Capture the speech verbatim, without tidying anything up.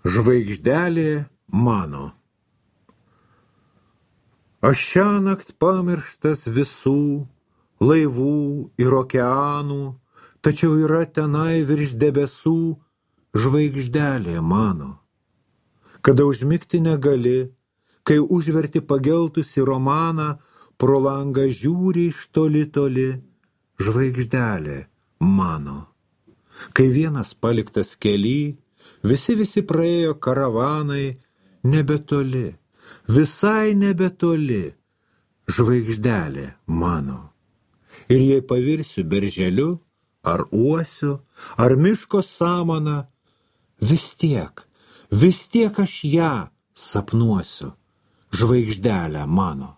Žvaigždelė mano. Aš šiąnakt pamirštas visų laivų ir okeanų, tačiau yra tenai virš debesų žvaigždelė mano. Kada užmigti negali, kai užverti pageltusi romaną, pro langą žiūri iš toli toli žvaigždelė mano. Kai vienas paliktas kely, visi visi praėjo karavanai, nebetoli, visai nebetoli žvaigždelė mano. Ir jei pavirsiu berželiu, ar uosiu, ar miško samana, vis tiek, vis tiek aš ją sapnuosiu, žvaigždelę mano.